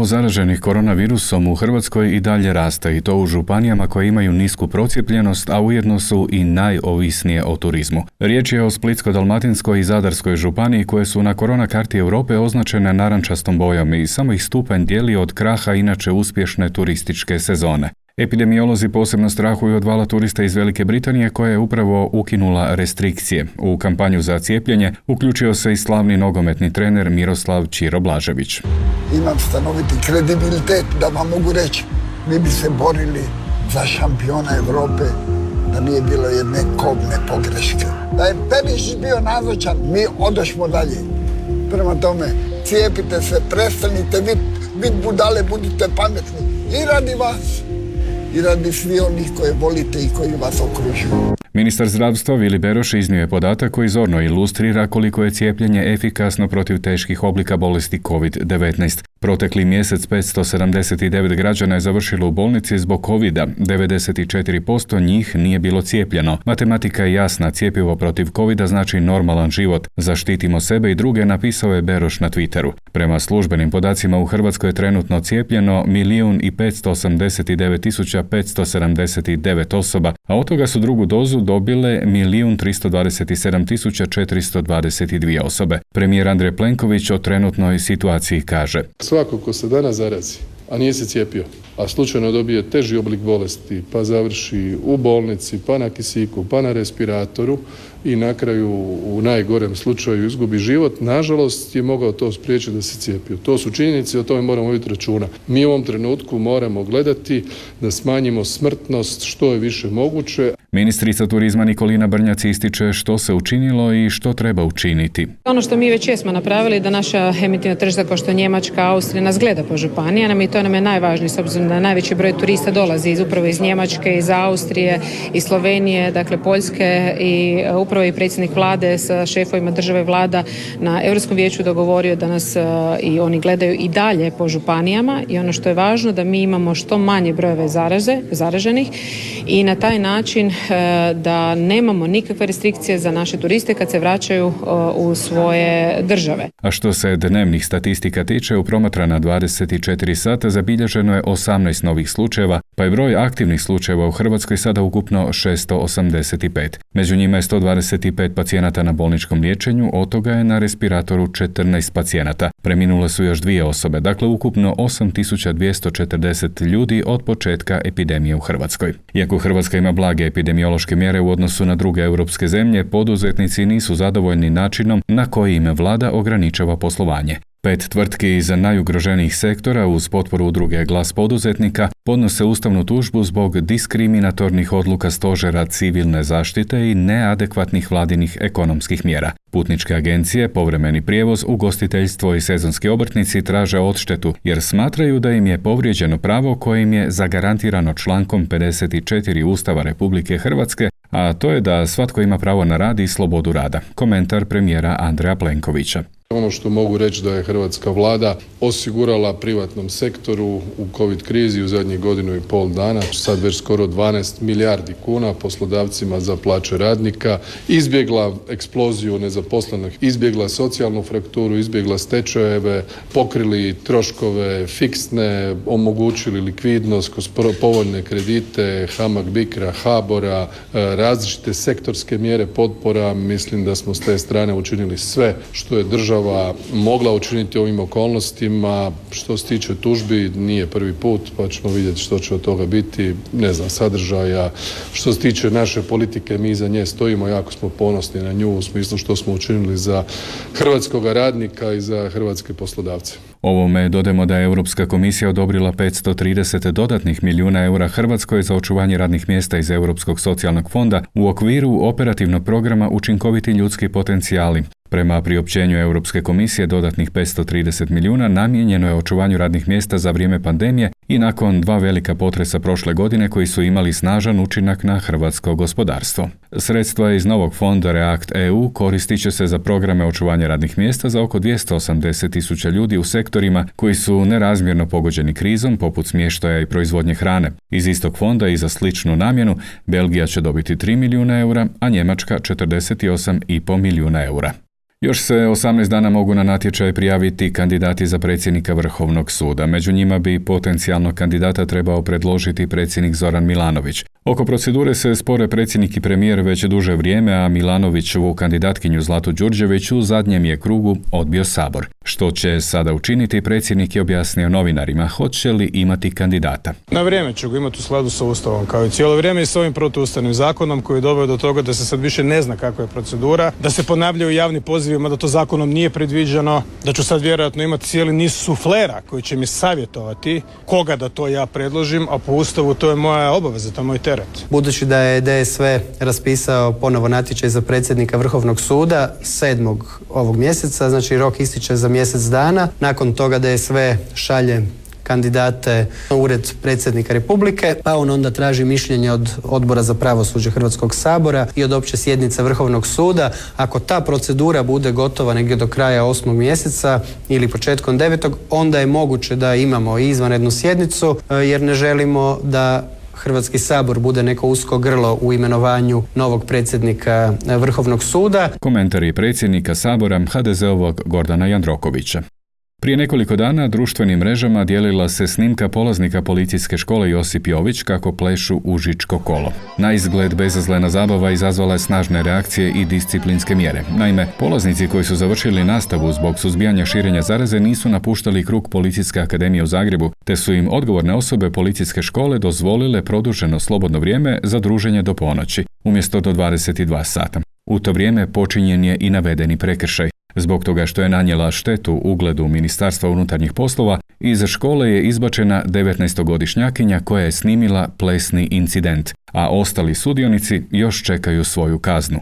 Novozaraženih koronavirusom u Hrvatskoj i dalje raste i to u županijama koje imaju nisku procijepljenost, a ujedno su i najovisnije o turizmu. Riječ je o Splitsko-dalmatinskoj i Zadarskoj županiji koje su na korona karti Europe označene narančastom bojom i samo ih stupanj dijeli od kraha inače uspješne turističke sezone. Epidemiolozi posebno strahuju od vala turista iz Velike Britanije koja je upravo ukinula restrikcije. U kampanju za cijepljenje uključio se i slavni nogometni trener Miroslav Ćiro Blažević. Imam stanoviti kredibilitet da vam mogu reći, mi bi se borili za šampiona Europe da nije bilo jedne kobne pogreške. Da je Perišić bio nazočan, mi odošmo dalje. Prema tome, cijepite se, prestanite bit budale, budite pametni i radi vas i radi svi onih koje volite i koji vas okružuju. Ministar zdravstva Vili Beroš iznio je podatak koji zorno ilustrira koliko je cijepljenje efikasno protiv teških oblika bolesti COVID-19. Protekli mjesec 579 građana je završilo u bolnici zbog covida, 94% njih nije bilo cijepljeno. Matematika je jasna, cjepivo protiv covida znači normalan život. Zaštitimo sebe i druge, napisao je Beroš na Twitteru. Prema službenim podacima u Hrvatskoj je trenutno cijepljeno 1.589.579 osoba, a od toga su drugu dozu dobile 1.327.422 osobe. Premijer Andrej Plenković o trenutnoj situaciji kaže: Svako ko se danas zarazi, a nije se cijepio, a slučajno dobije teži oblik bolesti, pa završi u bolnici, pa na kisiku, pa na respiratoru i na kraju u najgorem slučaju izgubi život, nažalost je mogao to spriječiti da se cijepio. To su činjenice, o tome moramo voditi računa. Mi u ovom trenutku moramo gledati da smanjimo smrtnost što je više moguće. Ministrica turizma Nikolina Brnjac ističe što se učinilo i što treba učiniti. Ono što mi već jesmo napravili da naša emitivna tržišta kao što je Njemačka, Austrija nas gleda po županijama i to nam je najvažnije s obzirom da najveći broj turista dolazi upravo iz Njemačke, iz Austrije, iz Slovenije, dakle Poljske i upravo i predsjednik vlade sa šefovima države vlada na Europskom vijeću dogovorio da nas i oni gledaju i dalje po županijama i ono što je važno da mi imamo što manje brojeve zaraženih i na taj način da nemamo nikakve restrikcije za naše turiste kad se vraćaju u svoje države. A što se dnevnih statistika tiče, u promatrana 24 sata zabilježeno je 18 novih slučajeva, pa je broj aktivnih slučajeva u Hrvatskoj sada ukupno 685. Među njima je 125 pacijenata na bolničkom liječenju, od toga je na respiratoru 14 pacijenata. Preminule su još 2 osobe, dakle ukupno 8240 ljudi od početka epidemije u Hrvatskoj. Iako Hrvatska ima blage epidemiološke mjere u odnosu na druge europske zemlje, poduzetnici nisu zadovoljni načinom na koji im vlada ograničava poslovanje. 5 tvrtki iz najugroženijih sektora uz potporu udruge Glas poduzetnika podnose ustavnu tužbu zbog diskriminatornih odluka Stožera civilne zaštite i neadekvatnih vladinih ekonomskih mjera. Putničke agencije, povremeni prijevoz, ugostiteljstvo i sezonski obrtnici traže odštetu jer smatraju da im je povrijeđeno pravo koje im je zagarantirano člankom 54 Ustava Republike Hrvatske, a to je da svatko ima pravo na rad i slobodu rada. Komentar premijera Andreja Plenkovića. Ono što mogu reći da je hrvatska vlada osigurala privatnom sektoru u covid krizi u zadnjih 1,5 dana, sad već skoro 12 milijardi kuna poslodavcima za plaće radnika, izbjegla eksploziju nezaposlenih, izbjegla socijalnu frakturu, izbjegla stečajeve, pokrili troškove fiksne, omogućili likvidnost kroz povoljne kredite, HAMAG Bicra, HABOR-a, različite sektorske mjere potpora. Mislim da smo s te strane učinili sve što je država mogla učiniti u ovim okolnostima. Što se tiče tužbi, nije prvi put, pa ćemo vidjeti što će od toga biti, ne znam, sadržaja. Što se tiče naše politike, mi za nje stojimo, jako smo ponosni na nju u smislu što smo učinili za hrvatskog radnika i za hrvatske poslodavce. Ovome dodajemo da je Europska komisija odobrila 530 dodatnih milijuna eura Hrvatskoj za očuvanje radnih mjesta iz Europskog socijalnog fonda u okviru operativnog programa Učinkoviti ljudski potencijali. Prema priopćenju Europske komisije, dodatnih 530 milijuna namijenjeno je očuvanju radnih mjesta za vrijeme pandemije i nakon 2 velika potresa prošle godine koji su imali snažan učinak na hrvatsko gospodarstvo. Sredstva iz novog fonda React EU koristit će se za programe očuvanja radnih mjesta za oko 280.000 ljudi u sektorima koji su nerazmjerno pogođeni krizom, poput smještaja i proizvodnje hrane. Iz istog fonda i za sličnu namjenu Belgija će dobiti 3 milijuna eura, a Njemačka 48,5 milijuna eura. Još se 18 dana mogu na natječaj prijaviti kandidati za predsjednika Vrhovnog suda. Među njima bi potencijalnog kandidata trebao predložiti predsjednik Zoran Milanović. Oko procedure se spore predsjednik i premijer već duže vrijeme, a Milanovićevu kandidatkinju Zlatu Đurđević u zadnjem je krugu odbio Sabor. Što će sada učiniti, predsjednik je objasnio novinarima. Hoće li imati kandidata? Na vrijeme ću ga imati u skladu sa Ustavom, kao i cijelo vrijeme i s ovim protuustavnim zakonom koji je doveo do toga da se sad više ne zna kakva je procedura, da se ponavljaju javni pozivima da to zakonom nije predviđeno, da ću sad vjerojatno imati cijeli niz suflera koji će mi savjetovati koga da to ja predložim, a po Ustavu to je moja obaveza, to je moj teret. Budući da je DSV raspisao ponovo natječaj za predsjednika Vrhovnog suda 7. ovog mjeseca, znači rok ističe za mjesec dana. Nakon toga DSV šalje kandidate u ured predsjednika Republike, pa on onda traži mišljenje od Odbora za pravosuđe Hrvatskog sabora i od opće sjednice Vrhovnog suda. Ako ta procedura bude gotova negdje do kraja 8. mjeseca ili početkom 9. onda je moguće da imamo i izvanrednu sjednicu, jer ne želimo da Hrvatski sabor bude neko usko grlo u imenovanju novog predsjednika Vrhovnog suda. Komentari predsjednika Sabora HDZ-ovog Gordana Jandrokovića. Prije nekoliko dana društvenim mrežama dijelila se snimka polaznika policijske škole Josip Jović kako plešu užičko kolo. Na izgled bezazlena zabava izazvala je snažne reakcije i disciplinske mjere. Naime, polaznici koji su završili nastavu zbog suzbijanja širenja zaraze nisu napuštali krug Policijske akademije u Zagrebu, te su im odgovorne osobe policijske škole dozvolile produženo slobodno vrijeme za druženje do ponoći, umjesto do 22 sata. U to vrijeme počinjen je i navedeni prekršaj. Zbog toga što je nanijela štetu ugledu Ministarstva unutarnjih poslova, iz škole je izbačena 19-godišnjakinja koja je snimila plesni incident, a ostali sudionici još čekaju svoju kaznu.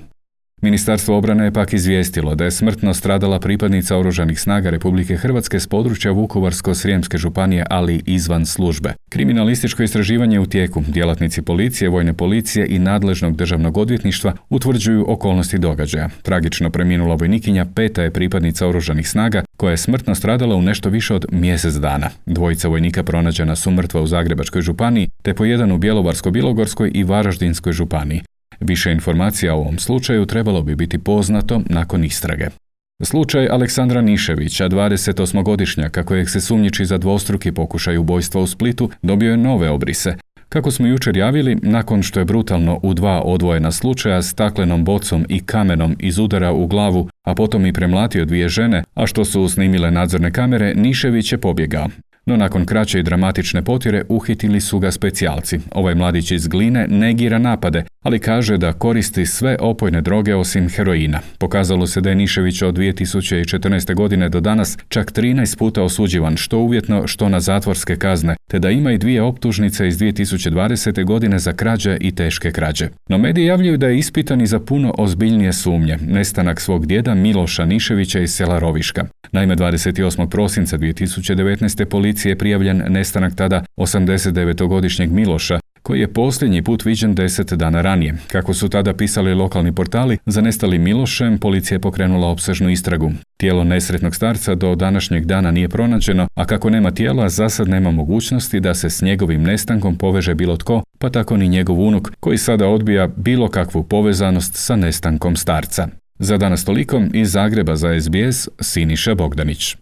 Ministarstvo obrane je pak izvijestilo da je smrtno stradala pripadnica Oružanih snaga Republike Hrvatske s područja Vukovarsko-srijemske županije, ali izvan službe. Kriminalističko istraživanje u tijeku. Djelatnici policije, vojne policije i nadležnog državnog odvjetništva utvrđuju okolnosti događaja. Tragično preminula vojnikinja 5. je pripadnica Oružanih snaga koja je smrtno stradala u nešto više od mjesec dana. Dvojica vojnika pronađena su mrtva u Zagrebačkoj županiji, te po jedan u Bjelovarsko-bilogorskoj i Varaždinskoj županiji. Više informacija o ovom slučaju trebalo bi biti poznato nakon istrage. Slučaj Aleksandra Niševića, 28-godišnjaka kojeg se sumnjiči za dvostruki pokušaj ubojstva u Splitu, dobio je nove obrise. Kako smo jučer javili, nakon što je brutalno u 2 odvojena slučaja staklenom bocom i kamenom izudarao u glavu, a potom i premlatio 2 žene, a što su snimile nadzorne kamere, Nišević je pobjegao. No nakon kraće i dramatične potjere uhitili su ga specijalci. Ovaj mladić iz Gline negira napade, ali kaže da koristi sve opojne droge osim heroina. Pokazalo se da je Nišević od 2014. godine do danas čak 13 puta osuđivan, što uvjetno, što na zatvorske kazne, te da ima i 2 optužnice iz 2020. godine za krađe i teške krađe. No mediji javljaju da je ispitan i za puno ozbiljnije sumnje, nestanak svog djeda Miloša Niševića iz sela Roviška. Naime, 28. prosinca 2019. policije je prijavljen nestanak tada 89-godišnjeg Miloša, koji je posljednji put viđen 10 dana ranije. Kako su tada pisali lokalni portali, za nestalim Milošem policija je pokrenula opsežnu istragu. Tijelo nesretnog starca do današnjeg dana nije pronađeno, a kako nema tijela, zasad nema mogućnosti da se s njegovim nestankom poveže bilo tko, pa tako ni njegov unuk, koji sada odbija bilo kakvu povezanost sa nestankom starca. Za danas toliko, iz Zagreba za SBS, Siniša Bogdanić.